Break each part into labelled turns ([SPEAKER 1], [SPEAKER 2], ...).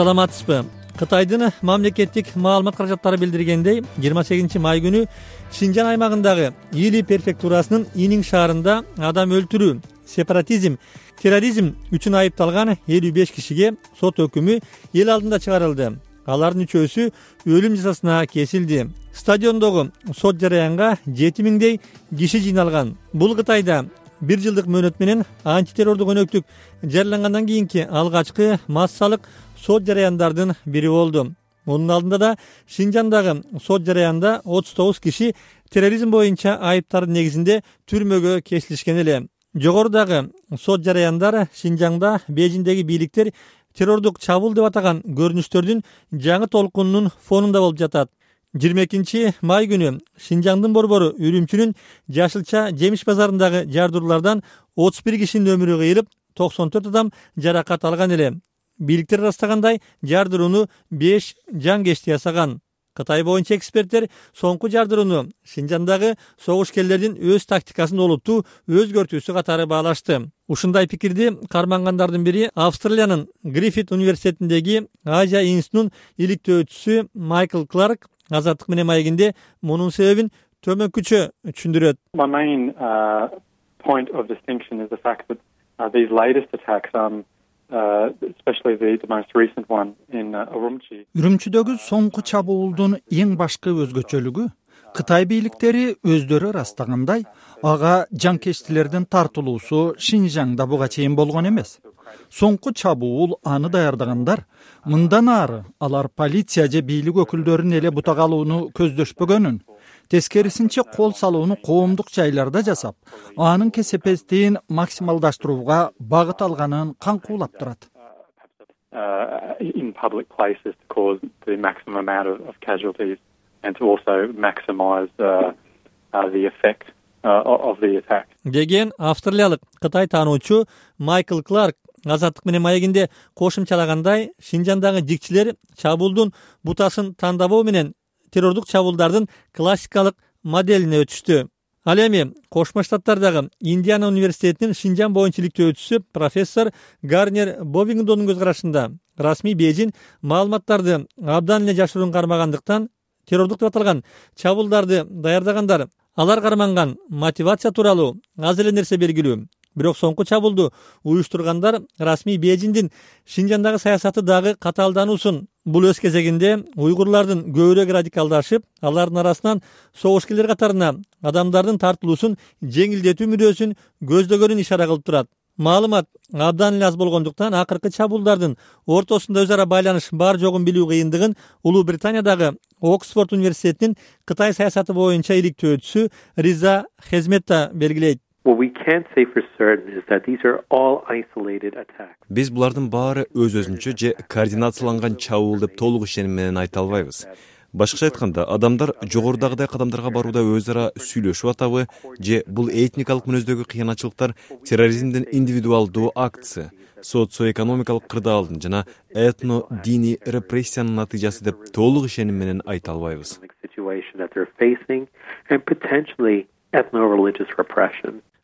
[SPEAKER 1] саламатсызбы? Кытайдын мамлекеттик маалымат каражаттары билдиргендей, 28-май күнү Шинжан аймагындагы Или префектурасынын Инин шаарында адам өлтүрүү, сепаратизм, терроризм үчүн айыпталган 55 кишиге сот өкүмү эл алдында чыгарылды. Алардын үчөөсү өлүм жазасына кесилди. Стадиондогу сот жараянга 7000дей киши жыйналган. Бул Кытайда 1 жылдык мөөнөт менен антитеррордук өнөктүк жарыялангандан кийинки алгачкы массалык сот жараяндардын бири болду. Мунун алдында да Шинжандагы сот жараянда 39 киши терроризм боюнча айыптардын негизинде түрмөгө кесилишкен эле. Жогорудагы сот жараяндар Шинжаңда Бейжиңдеги бийликтер террордук чабуул деп атаган көрүнүштөрдүн жаңы толкунунун фонунда болуп жатат. 22-май күнү Шинжаңдын борбору Үрүмчүнүн Жашылча жемиш базарындагы жардыруулардан 31 кишинин өмүрү кыйылып, 94 адам жаракат алган эле. Бийликтер ырастагандай, жардырууну 5 жангечти ясаган. Кытай боюнча эксперттер соңку жардырууну Шинжандагы согушкерлердин өз тактикасын олуттуу өзгөртүүсү катары баалашты. Ушундай пикирди кармангандардын бири Австралиянын Гриффит университетиндеги Азия институтунун иликтөөчүсү Майкл Кларк Азаттык менен маегинде мунун себебин төмөнкүчө түшүндүрөт.
[SPEAKER 2] My main point of distinction is the fact that these latest attacks, especially the most recent one in Urumqi.
[SPEAKER 3] Үрүмчүдөгү соңку чабуулдун эң башкы өзгөчөлүгү Кытай бийликтери өздөрү ырастагандай, ага жанкечтилердин тартылуусу Шинжаңда буга чейин болгон эмес. Соңку чабуул аны даярдагандар мындан ары алар полиция же бийлик өкүлдөрүн эле бутага алууну көздөшпөгөнүн, тескерисинче кол салууну коомдук жайларда жасап, анын кесепеттигин максималдаштырууга багыт алганын каңкуулап турат.
[SPEAKER 2] In public places to cause the maximum amount of casualties and to also maximize the effect of the attack.
[SPEAKER 1] Деген австралиялык Кытай таануучу Майкл Кларк Азаттык менен маегинде кошумчалагандай, Шинжандагы жикчилер чабуулдун бутасын тандабоо менен террордук чабуулдардын классикалык моделине өтүштү. Ал эми Кошмо Штаттардагы Индиана университетинин Шинжан боюнча иликтөөчүсү профессор Гарнер Бовингдондун көз карашында расмий Бейжиң маалыматтарды абдан эле жашыруун кармагандыктан террордук деп аталган чабуулдарды даярдагандар алар карманган мотивация тууралуу аз эле нерсе белгилүү. Бирок соңку чабуулду уюштургандар расмий Бейжиңдин Шинжандагы саясаты дагы катаалдануусун. Бул өз кезегинде уйгурлардын көбүрөөк радикалдашып, алардын арасынан согушкерлер катарына адамдардын тартылуусун жеңилдетүү мүдөөсүн көздөгөнүн ишара кылып турат. Маалымат абдан эле аз болгондуктан акыркы чабуулдардын ортосунда өз ара байланыш бар жогун билүү кыйындыгын Улуу Британиядагы Оксфорд университетинин Кытай саясаты боюнча иликтөөчүсү Риза Хезметта белгилейт.
[SPEAKER 4] What we can say for certain is that these are all isolated attacks.
[SPEAKER 5] Биз булардын баары өз-өзүнчө же координацияланган чабуул деп толук ишеним менен айта албайбыз. Башкача айтканда, адамдар жогорудагыдай кадамдарга барууда өз ара сүйлөшүп атабы же бул этникалык мүнөздөгү кыйынчылыктар терроризмдин индивидуалдуу актысы, социо-экономикалык кырдаалдын жана этно-диний репрессиянын натыйжасы деп толук ишеним менен айта албайбыз.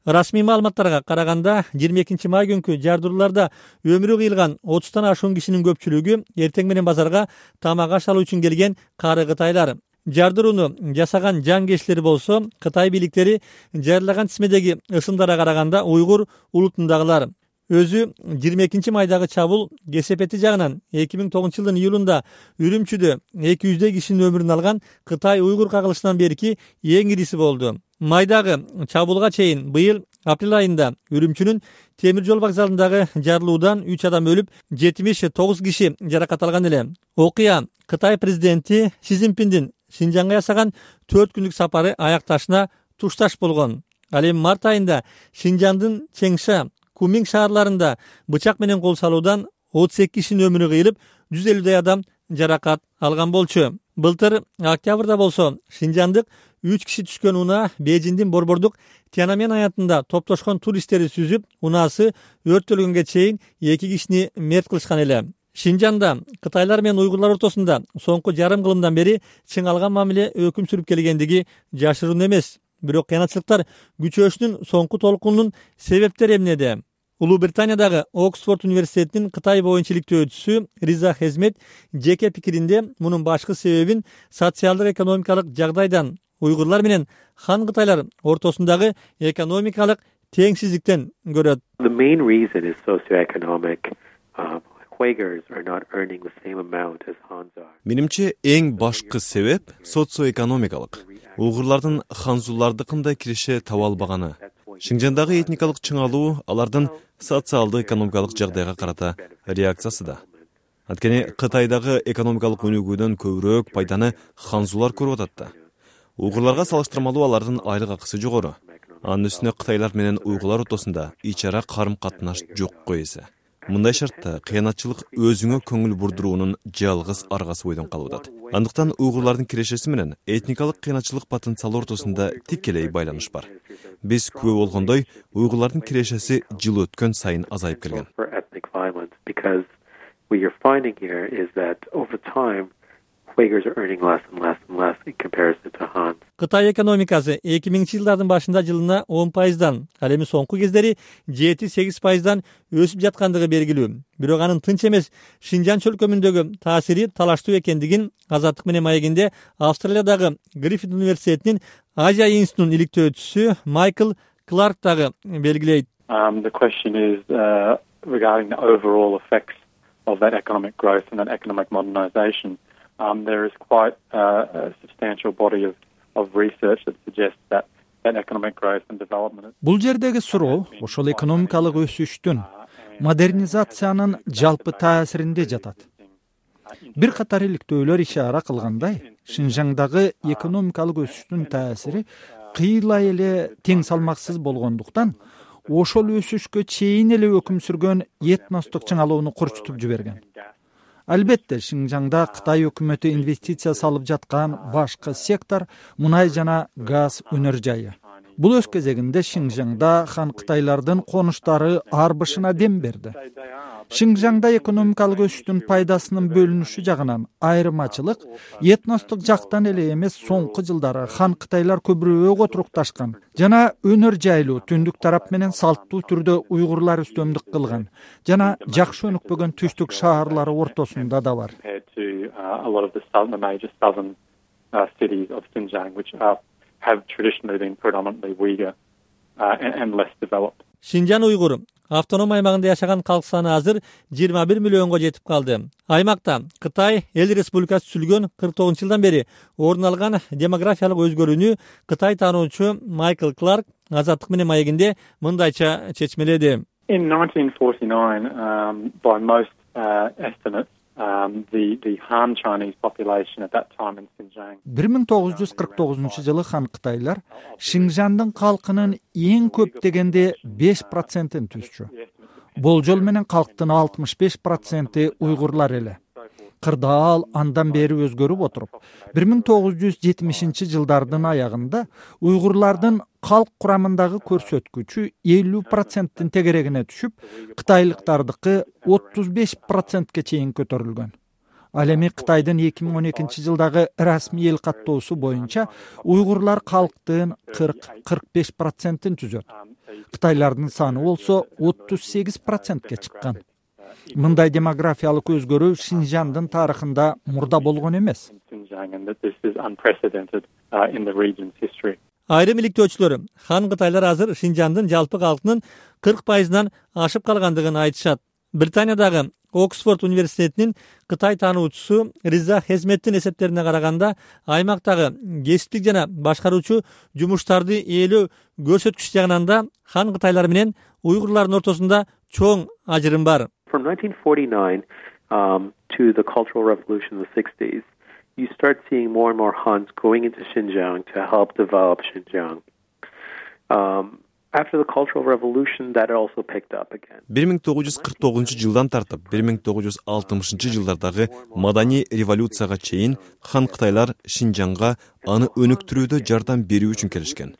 [SPEAKER 1] Расмий маалыматтарга караганда 22-май күнкү жардырууларда өмүрү кыйылган 30тан ашуун кишинин көпчүлүгү эртең менен базарга тамак аш алуу үчүн келген кары кытайлар. Жардырууну жасаган жангечтер болсо Кытай бийликтери жарыялаган тизмедеги ысымдарга караганда уйгур улутундагылар. Өзү 22-майдагы чабуул кесепети жагынан 2009-жылдын июлунда Үрүмчүдө 200 кишинин өмүрүн алган Кытай уйгур кагылышынан берки эң ириси болду. Майдагы чабуулга чейин быйыл апрель айында Үрүмчүнүн темир жол вокзалындагы жарылуудан 3 адам өлүп, 79 киши жаракат алган эле. Окуя Кытай президенти Си Цзиньпиндин Шинжаңга ясаган 4 күндүк сапары аякташына тушташ болгон. Ал эми март айында Шинжаңдын Чеңша, Куминг шаарларында бычак менен кол салуудан 32 кишинин өмүрү кыйылып, 150 адам жаракат алган болчу. Былтыр октябрда болсо Шинжандык 3 киши түшкөн унаа Бейжиңдин борбордук Тяньаньмэнь аянтында топтошкон туристтери сүзүп, унаасы өрттөлгөнгө чейин 2 кишини мерт кылышкан эле. Шинжанда Кытайлар менен уйгурлар ортосунда соңку жарым кылымдан бери чыңалган мамиле өкүм сүрүп келгендиги жашыруун эмес. Бирок кыянатчылыктар күчөөшүнүн соңку толкунунун себептери эмнеде? Улуу Британиядагы Оксфорд университетинин Кытай боюнча иликтөөчүсү Риза Хезмет жеке пикиринде мунун башкы себебин социалдык экономикалык жагдайдан уйгурлар менен хан кытайлар ортосундагы экономикалык теңсиздиктен көрөт.
[SPEAKER 4] The main reason is socioeconomic. Uyghurs are not earning the same amount as Hans are.
[SPEAKER 5] Менимче эң башкы себеп социоэкономикалык. Уйгурлардын ханзулардыкындай киреше таба албаганы. Шинжандагы этникалык чыңалуу алардын социалдык экономикалык жагдайга карата реакциясы да. Анткени Кытайдагы экономикалык өнүгүүдөн көбүрөөк пайданы ханзулар көрүп атат да. Уйгурларга салыштырмалуу алардын айлык акысы жогору. Анын үстүнө кытайлар менен уйгурлар ортосунда ич ара карым-катнаш жок койсо. Мындай шартта кыянатчылык өзүңө көңүл бурдуруунун жалгыз аргасы бойдон калып атат. Андыктан уйгурлардын кирешеси менен этникалык кыянатчылык потенциалы ортосунда тикелей байланыш бар. Биз күбө болгондой, уйгурлардын кирешеси жыл өткөн сайын азайып келген.
[SPEAKER 4] Uyghurs are earning less and less and less in comparison to Han.
[SPEAKER 1] Кытай экономикасы 2000-жылдардын башында жылына 10%дан, ал эми соңку кездери 7-8%дан өсүп жаткандыгы белгилүү. Бирок анын тынч эмес Шинжан чөлкөмүндөгү таасири талаштуу экендигин Азаттык менен маегинде Австралиядагы Гриффит университетинин Азия институтунун иликтөөчүсү Майкл Кларк дагы белгилейт.
[SPEAKER 2] The question is regarding the overall effects of that economic growth and that economic modernization. There is quite a substantial body of research that suggests that economic growth and development.
[SPEAKER 3] Бул жердеги суроо ошол экономикалык өсүштүн, модернизациянын жалпы таасиринде жатат. Бир катар иликтөөлөр ишара кылгандай, Шинжаңдагы экономикалык өсүштүн таасири кыйла эле тең салмаксыз болгондуктан, ошол өсүшкө чейин эле өкүм сүргөн этностук чыңалууну курчутуп жиберген. Албетте, Шинжаңда Кытай өкмөтү инвестиция салып жаткан башкы сектор мунай жана газ өнөр жайы. Бул өз кезегинде Шинжаңда хан кытайлардын конуштары ар бышына дем берди. Шинжаңда экономикалык өсүштүн пайдасынын бөлүнүшү жагынан айырмачылык этностук жактан эле эмес, соңку жылдары хан кытайлар көбүрөөк отурукташкан жана өнөр жайлуу түндүк тарап менен салттуу түрдө уйгурлар үстөмдүк кылган жана жакшы өнүкпөгөн түштүк шаарлары ортосунда да бар.
[SPEAKER 1] Шинжан уйгур автоном аймагында жашаган калк саны азыр 21 миллионго жетип калды. Аймакта Кытай эл республикасы түзүлгөн 49-жылдан бери орун алган демографиялык өзгөрүүнү Кытай таануучу Майкл Кларк Азаттык менен маегинде мындайча чечмеледи.
[SPEAKER 2] In 1949, by most estimates, the Han Chinese population at that time in Xinjiang.
[SPEAKER 3] 1949-жылы хан кытайлар Шинжандын калкынын эң көп дегенде 5%-ын түзчү. Болжол менен калктын 65% уйгурлар эле. Кырдаал андан бери өзгөрүп отуруп, 1970-жылдардын аягында уйгурлардын калк курамындагы көрсөткүчү 50%-тин тегерегине түшүп, кытайлыктардыкы 35%ке чейин көтөрүлгөн. Ал эми Кытайдын 2012-жылдагы расмий эл каттоосу боюнча уйгурлар калктын 40-45%-ин түзөт. Кытайлардын саны болсо 38%ке чыккан. Мындай демографиялык өзгөрүү Шинжандын тарыхында мурда болгон эмес.
[SPEAKER 1] Айрым иликтөөчүлөр хан кытайлар азыр Шинжандын жалпы калкынын 40%-дан ашып калгандыгын айтышат. Британиядагы Оксфорд университетинин Кытай таануучусу Риза Хезметтин эсептерине караганда, аймактагы кесиптик жана башкаруучу жумуштарды ээлөө көрсөткүч жагынан да хан кытайлар менен уйгурлардын ортосунда чоң ажырым бар.
[SPEAKER 4] From 1949 to the Cultural Revolution in the 60s, you start seeing more and more Hans going into Xinjiang to help develop Xinjiang. After the Cultural Revolution, that also picked up again.
[SPEAKER 5] 1949-жылдан тартып 1960-жылдардагы маданий революцияга чейин хан кытайлар Шинжаңга аны өнүктүрүүдө жардам берүү үчүн келишкен.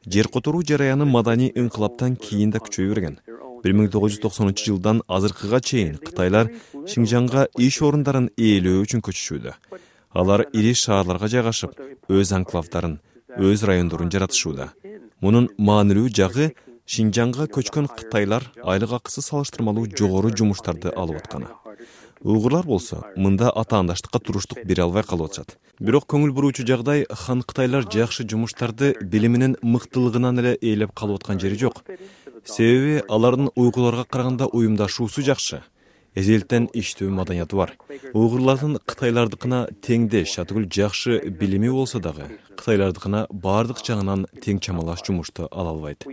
[SPEAKER 5] Жер которуу жараяны маданий инкылаптан кийин да күчөй берген. 1990-жылдан азыркыга чейин кытайлар Шинжаңга иш орундарын ээлөө үчүн көчүшүүдө. Алар ири шаарларга жайгашып, өз анклавдарын, өз райондорун жаратышууда. Мунун маанилүү жагы Шинжаңга көчкөн кытайлар айлык акысы салыштырмалуу жогору жумуштарды алып атканы. Уйгурлар болсо мында атаандаштыкка туруштук бере албай калып атышат. Бирок көңүл буруучу жагдай хан кытайлар жакшы жумуштарды билиминин мыктылыгынан эле ээлеп калып аткан жери жок. Себеби алардын уйгурларга караганда уюмдашуусу жакшы. Эзелтен иштөө маданияты бар. Уйгурлардын кытайлардыкына теңдеш, атүгүл жакшы билими болсо дагы, кытайлардыкына баардык жагынан тең чамалаш жумушту ала албайт.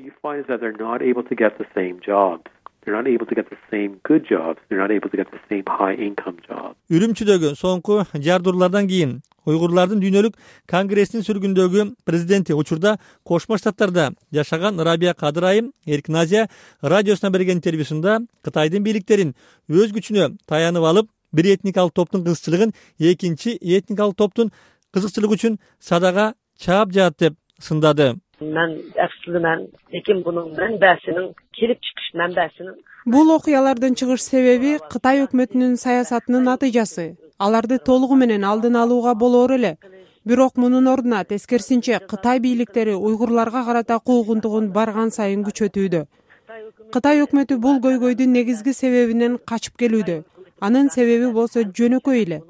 [SPEAKER 1] Үрүмчүдөгү соңку жардырлардан кийин уйгурлардын дүйнөлүк конгрессинин сүргүндөгү президенти учурда Кошмо Штаттарда жашаган Рабия Кадыр айым Эркин Азия радиосуна берген интервьюсунда Кытайдын бийликтерин өз күчүнө таянып алып, бир этникалык топтун кызыкчылыгын экинчи этникалык топтун кызыкчылыгы үчүн садага чаап жаат деп сындады.
[SPEAKER 6] Бул окуялардан чыгыш себеби Кытай өкмөтүнүн саясатынын натыйжасы. Аларды толугу менен алдын алууга болор эле. Бирок мунун ордуна тескерисинче Кытай бийликтери уйгурларга карата куугунтугун барган сайын күчөтүүдө. Кытай өкмөтү бул көйгөйдүн негизги себебинен качып келүүдө. Анын себеби болсо жөнөкөй эле.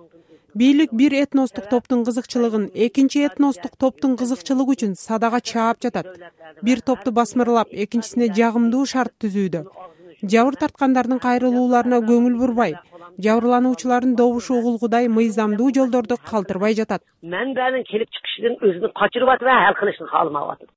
[SPEAKER 6] Бийлик бир этностук топтун кызыкчылыгын экинчи этностук топтун кызыкчылыгы үчүн садага чаап жатат. Бир топту басмырлап, экинчисине жагымдуу шарт түзүүдө. Жабыр тарткандардын кайрылууларына көңүл бурбай, жабырлануучулардын добушу угулгудай мыйзамдуу жолдорду калтырбай жатат.
[SPEAKER 7] Мен келип чыгышын өзүнү качырып атып, хал кылышын каалабап атат.